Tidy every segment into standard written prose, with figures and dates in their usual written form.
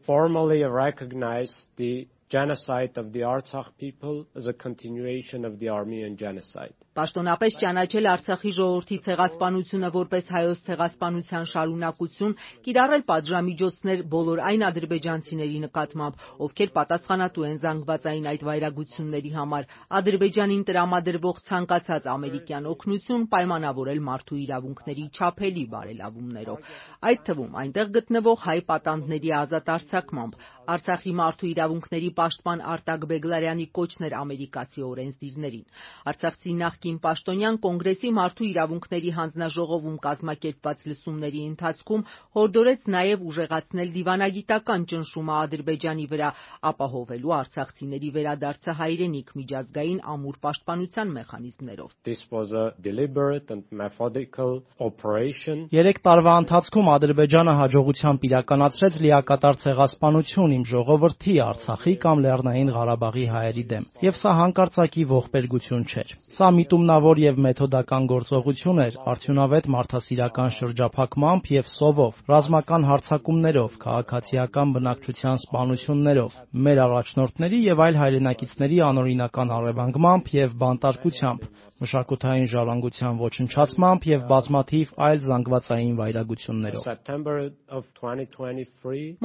formally recognize the genocide of the Artsakh people as a continuation of the Armenian genocide. Պաշտոնապես ճանաչել Արցախի ժողովրդի ցեղասպանությունը որպես հայոց ցեղասպանության շարունակություն, կիրառել պատժամիջոցներ բոլոր այն ադրբեջանցիների նկատմամբ, ովքեր պատասխանատու են զանգվածային այդ վայրագությունների համար, Ադրբեջանին տրամադրվող ցանկացած ամերիկյան օգնություն պայմանավորել մարդու իրավունքների չափելի բարելավումներով, այդ թվում այնտեղ գտնվող հայ պատանդների ազատ արձակմամբ, Արցախի մարդու իրավունքների պաշտպան Արտակ Բեգլարյանի կոչն էր ամերիկացի օրենսդիրներին։ Արցախցի նախկին պաշտոնյան կոնգրեսի մարդու իրավունքների հանձնաժողովում կազմակերպված լսումների ընթացքում հորդորեց նաև ուժեղացնել դիվանագիտական ճնշումը Ադրբեջանի վրա, ապահովելու արցախցիների վերադարձը հայրենիք միջազգային ամուր պաշտպանության մեխանիզմներով։ This was a deliberate and methodical operation. 3 տարվա ընթացքում Ադրբեջանը հաջողությամբ իրականացրեց լիակատար ցեղասպանություն իմ ժողովրդի Արցախի կամ Լեռնային Ղարաբաղի հայերի դեմ, եւ սա հանկարծակի ողբերգություն չէր։ Սա միտումնավոր եւ մեթոդական գործողություն էր, արդյունավետ մարդասիրական շրջափակմամբ եւ սովով, ռազմական հարձակումներով, քաղաքացիական բնակչության սպանություններով, մեր առաջնորդների եւ այլ հայրենակիցների անօրինական առևանգմամբ եւ բանտարկությամբ, մշակութային ժառանգության ոչնչացմամբ եւ բազմաթիվ այլ զանգվածային վայրագություններով։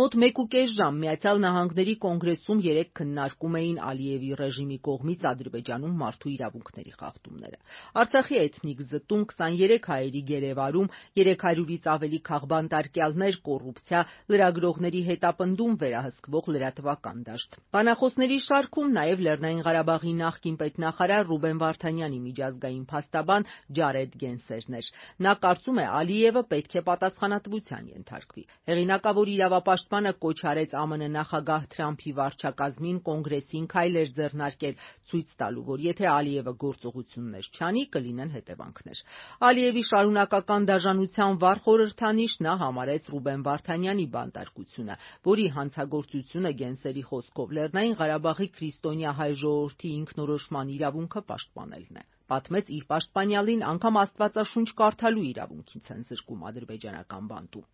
Մոտ 1.5 ժամ Միացյալ Նահանգների կոնգրեսում 3 քննարկում էին Ալիևի ռեժիմի կողմից Ադրբեջանում մարդու իրավունքների խախտումները։ Արցախի էթնիկ զտում, 23 հայերի գերեվարում, 300-ից ավելի քաղբանտարկյալներ, կոռուպցիա, լրագրողների հետապնդում, վերահսկվող լրատվական դաշտ։ Բանախոսների շարքում նաև Լեռնային Ղարաբաղի նախկին պետնախարար Ռուբեն Վարդանյանի միջազգային փաստաբան Ջարեդ Գենսերն էր։ Նա կարծում է Ալիևը պետք է պատասխանատվության ենթարկվի։ Հեղինակավոր իրավապաշտպանը կոչ արեց ԱՄՆ նախագահ Թրամփի վարչակազմին կոնգրեսին քայլեր ձեռնարկել, ցույց տալու, որ եթե Ալիևը գործողություններ չանի, կլինեն հետևանքներ։ Ալիևի շարունակական դաժանության վառ խորհրդանիշ նա համարեց Ռուբեն Վարդանյանի բանտարկությունը, որի հանցագործությունը Գենսերի խոսքով Լեռնային Ղարաբաղի քրիստոնյա հայ ժողովրդի ինքնորոշման իրավունքը պաշտպանելն է։ Պատմեց իր պաշտպանյալին անգամ Աստվածաշունչ կարդալու իրավունքից են զրկում ադրբեջանական բանտում։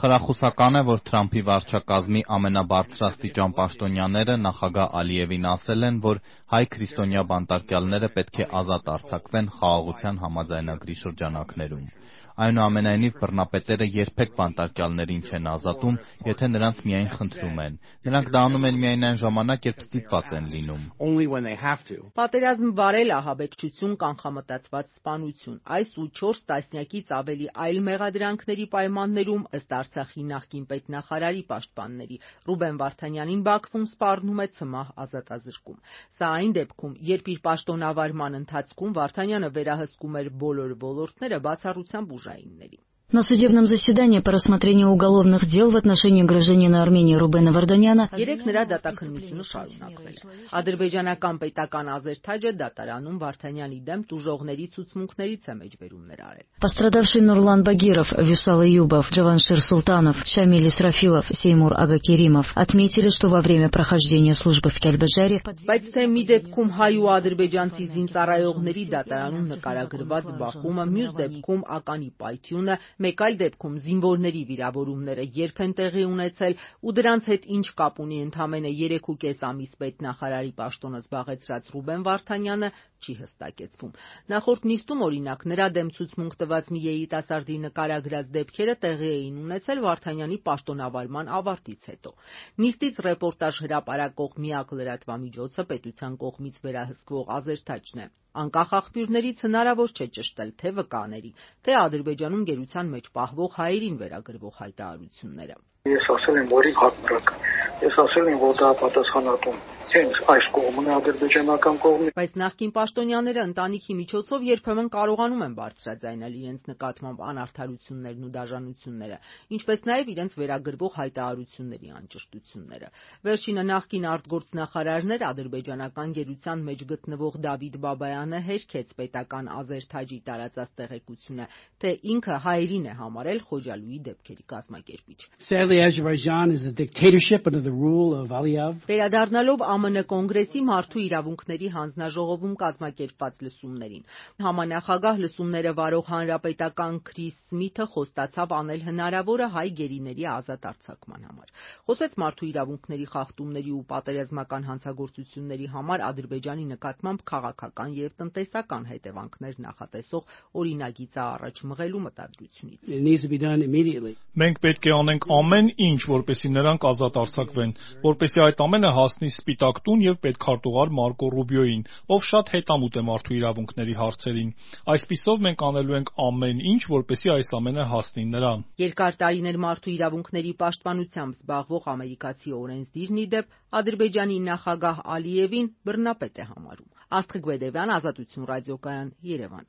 Խրախուսական է, որ Թրամփի վարչակազմի ամենաբարձրաստիճան պաշտոնյաները նախագահ Ալիևին ասել են, որ հայ քրիստոնյա բանտարկյալները պետք է ազատ արձակվեն խաղաղության համաձայնագրի շրջանակներում։ Այնուամենայնիվ բռնապետերը երբեք բանտարկյալներին չեն ազատում, եթե նրանց միայն խնդրում են։ Նրանք դա անում են միայն այն ժամանակ, երբ ստիպված են լինում։ Պատերազմ վարել, ահաբեկչություն, կանխամտածված սպանություն, այս ու 4 տասնյակից ավելի այլ մեղադրանքների պայմաններում, ըստ Արցախի նախկին պետնախարարի պաշտպանների, Ռուբեն Վարդանյանին Բաքվում սպառնում է ցմահ ազատազրկում։ Սա այն դեպքում, երբ իր պաշտոնավարման ընթացքում Վարդանյանը վերահսկում էր բոլոր ոլորտները բացառությամբ ուժայինների։ На судебном заседании по рассмотрению уголовных дел в отношении гражданина Армении Рубена Варданяна երեք նրա դատաքննությունը շարունակվել է։ Ադրբեջանական պետական ազերթաճը դատարանում Վարդանյանի դեմ տուժողների ցուցմունքներից է մեջբերումներ արել։ Пострадавший Нурлан Багиров, Вюсал Июбов, Джаваншир Султанов, Шамиль Исрафилов, Сеймур Агакеримов отметили, что во время прохождения службы в Кельбежаре Բայց թե մի դեպքում հայ ու ադրբեջանցի զինծառայողների դատարանում նկարագրված բախումը, մյուս դեպքում ականի պայթյունը, մեկ այլ դեպքում զինվորների վիրավորումները երբ են տեղի ունեցել ու դրանց հետ ինչ կապ ունի ընդամենը 3.5 ամիս պետնախարարի պաշտոնը զբաղեցրած Ռուբեն Վարդանյանը, չի հստակեցվում։ Նախորդ նիստում օրինակ նրա դեմ ցուցմունք տված մի երիտասարդի նկարագրած դեպքերը տեղի էին ունեցել Վարդանյանի պաշտոնավարման ավարտից հետո։ Նիստից ռեպորտաժ հրապարակող միակ լրատվամիջոցը պետության կողմից վերահսկվող ազերթաճն է։ Անկախ աղբյուրներից հնարավոր չէ ճշտել թե վկաների, թե Ադրբեջանում գերության մեջ պահվող հայերին վերագրվող հայտարարությունները։ Ես ասել եմ, որ հակմրակ։ Ես ասել եմ, որ դա պատասխանատուն հենց այս կողմն է ադրբեջանական կողմը։ Բայց նախկին պաշտոնյաները ընտանիքի միջոցով երբեմն կարողանում են բարձրաձայնել իրենց նկատմամբ անարդարություններն ու դաժանությունները, ինչպես նաև իրենց վերագրվող հայտարարությունների անճշտությունները։ Վերջինը նախկին արտգործնախարարներ ադրբեջանական գերության մեջ գտնվող Դավիթ Բաբայանը հերքեց պետական ազերթաճի տարածած տեղեկությունը, թե ինքը հայերին է համարել Խոջալույի դեպքերի կազմակերպիչ։ Sadly, Azerbaijan is a dictatorship under the rule of Aliyev. Վերադառնալով ԱՄՆ կոնգրեսի մարդու իրավունքների հանձնաժողովում կազմակերպված լսումներին։ Համանախագահ լսումները վարող հանրապետական Քրիս Սմիթը խոստացավ անել հնարավորը հայ գերիների ազատ արձակման համար։ Խոսեց մարդու իրավունքների խախտումների ու պատերազմական հանցագործությունների համար Ադրբեջանի նկատմամբ քաղաքական և տնտեսական հետևանքներ նախատեսող օրինագիծը առաջ մղելու մտադրությունից։ Մենք պետք է անենք ամեն ինչ, որպեսզի նրանք ազատ արձակվեն, որպեսզի այդ ամենը հասնի Սպիտակ տուն և պետքարտուղար Մարկո Ռուբիոյին, ով շատ հետամուտ է մարդու իրավունքների հարցերին։ Այսպիսով մենք անելու ենք ամեն ինչ, որպեսզի այս ամենը հասնի նրան։ Երկար տարիներ մարդու իրավունքների պաշտպանությամբ զբաղվող ամերիկացի օրենսդիրն ի դեպ Ադրբեջանի նախագահ Ալիևին բռնապետ է համարում։ Աստղիկ Բեդևյան, Ազատություն ռադիոկայան, Երևան։